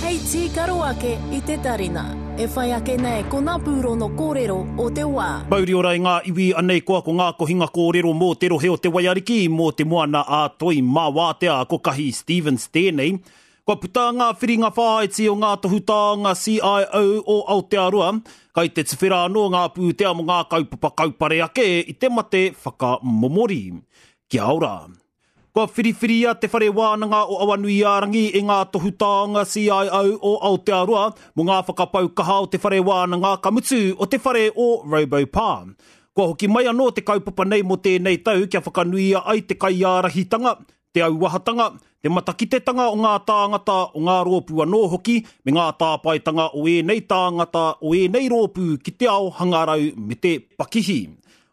Hei tīkaro ake i te tarina. E whai ake nei ko ngā pūrono kōrero o te wā. Mauri ora i ngā iwi, anei koa ko ngā kohinga kōrero mō te rohe o Te Waiariki, mō te moana a Toi mā Wātea, ko Kahi Stevens tēnei. Kua puta ngā whiringa whāiti o ngā tohu taonga CIO o Aotearoa, kai te tuwhera anō ngā pūtea mō ngā kaupapa kaupare ake i te mate whakamomori. Kia ora. Kua whiriwhiria Te Whare Wānanga o Awanuiārangi e ngā tohu taonga CIO o Aotearoa mō ngā whakapau kaha o te whare wānanga, ka mutu, o te whare o RoboPā. Kua hoki mai anō te kaupapa nei mō tēnei tau kia whakanuia ai te kaiārahitanga, te auahatanga, te matakitetanga o ngā tāngata, o ngā rōpū anō hoki, me ngā tāpaetanga o ēnei tāngata, o ēnei rōpū ki te ao hangarau me te pakihi.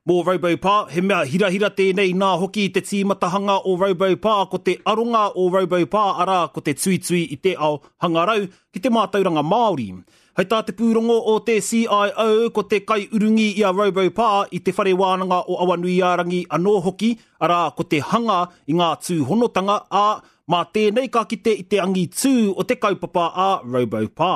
Mō RoboPā, he mea hirahira tēnei inā hoki i te tīmatahanga o RoboPā ko te aronga o RoboPā arā ko te tuitui i te ao hangarau ki te mātauranga Māori. Hei tā te pūrongo o te CIO ko te kaiurungi i a RoboPā i Te Whare Wānanga o Awanuiārangi anō hoki arā ko te hanga i ngā tūhonotanga, ā, mā tēnei ka kite i te angitū o te kaupapa a RoboPā.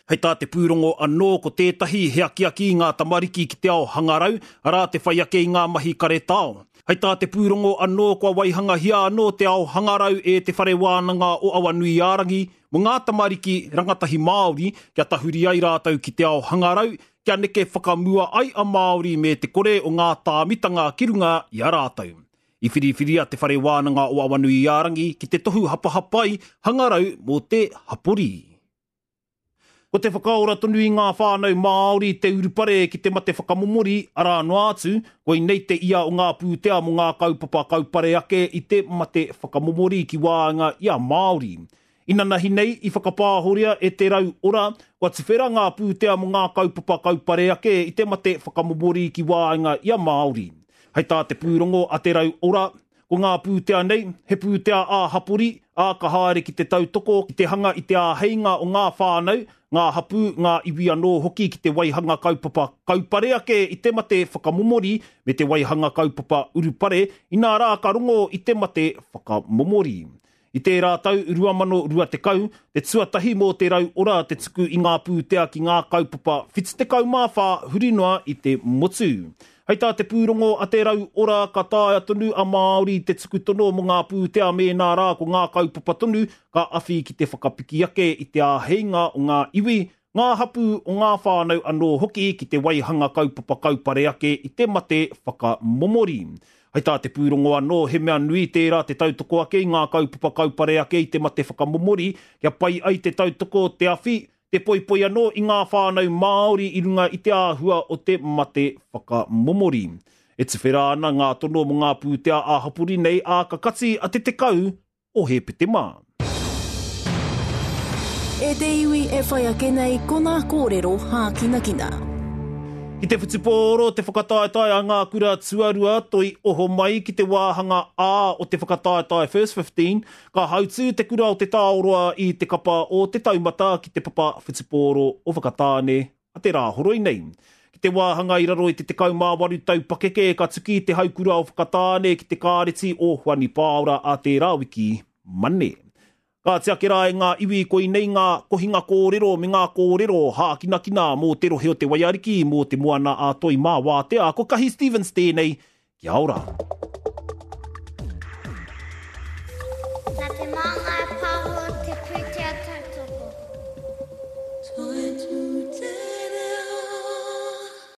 Hei tā te pūrongo anō ko tētahi he akiaki i ngā tamariki ki te ao hangarau, arā te whai ake i ngā mahi karetao. Hei tā te pūrongo anō kua waihangahia anō te ao hangarau e Te Whare Wānanga o Awanuiārangi mō ngā tamariki rangatahi Māori kia tahuri ai rātou ki te ao hangarau, kia neke whakamua ai a Māori me te kore o ngā tāmitanga ki runga i a rātou. I whiriwhiria Te Whare Wānanga o Awanuiārangi ki te tohu hapahapai hangarau mō te hapori. Ko te whakaora tonu i ngā whānau Māori te urupare ki te mate whakamomori, arā noa atu, koinei te ia o ngā pūtea mō ngā kaupapa kaupare ake i te mate whakamomori ki waenga i a Māori. Inanahi nei, i whakapāhoria e Te Rau Ora, kua tuwhera ngā pūtea mō ngā kaupapa kaupare ake i te mate whakamomori ki waenga i a Māori. Hei tā te pūrongo a Te Rau Ora, Ko ngā pūtea nei, he pūtea ā-hapori, ā, ka haere ki te tautoko, ki te hanga i te āheinga o ngā whānau, ngā hapū, ngā iwi anō hoki ki te waihanga kaupapa kaupare ake i te mate whakamomori me te waihanga kaupapa urupare, inā rā ka rongo i te mate whakamomori. I tērā tau 2020, te tuatahi mō Te Rau Ora te tuku i ngā pūtea ki ngā kaupapa 74 huri noa i te motu. Hei tā te pūrongo a Te Rau Ora ka taea tonu a Māori te tuku tono mō ngā pūtea mēnā rā ko ngā kaupapa tonu ka awhi ki te whakapiki ake i te āheinga o ngā iwi, ngā hapū, o ngā whānau anō hoki ki te waihanga kaupapa kaupare ake i te mate whakamomori. Hei tā te pūrongo anō, he mea nui tērā te tautoko ake i ngā kaupapa kaupare ake i te mate whakamomori kia pai ai te tautoko, te awhi, te poipoi anō i ngā whānau Māori i runga i te āhua o te mate whakamomori. E tuwhera ana ngā tono mō ngā pūtea ā-hapori nei, ā, ka kati a te 10 o Hēpetema. E te iwi e whai ake nei ko ngā kōrero hākinakina. Ki te whutupōro te whakataetae a ngā kura tuarua toi oho mai ki te wāhanga A o te whakataetae First 15, ka hautū te kura o Te Taoroa i te kapa o Te Taumata ki te papa whutupōro o Whakatāne a te Rāhoroi nei. Ki te wāhanga i raro i te 18 tau pakeke ka tuki te haukura o Whakatāne ki te kāreti o Hoani Pāora a tērā wiki, Mane. Kāti ake rā e ngā iwi koinei ngā kohinga kōrero me ngā kōrero hākinakina mō te rohe o Te Waiariki, mō Te Moana a Toi mā Wātea. Ko Kahi Stevens tēnei, Kia ora. Nā Te Māngai Pāho te pūtea tautoko.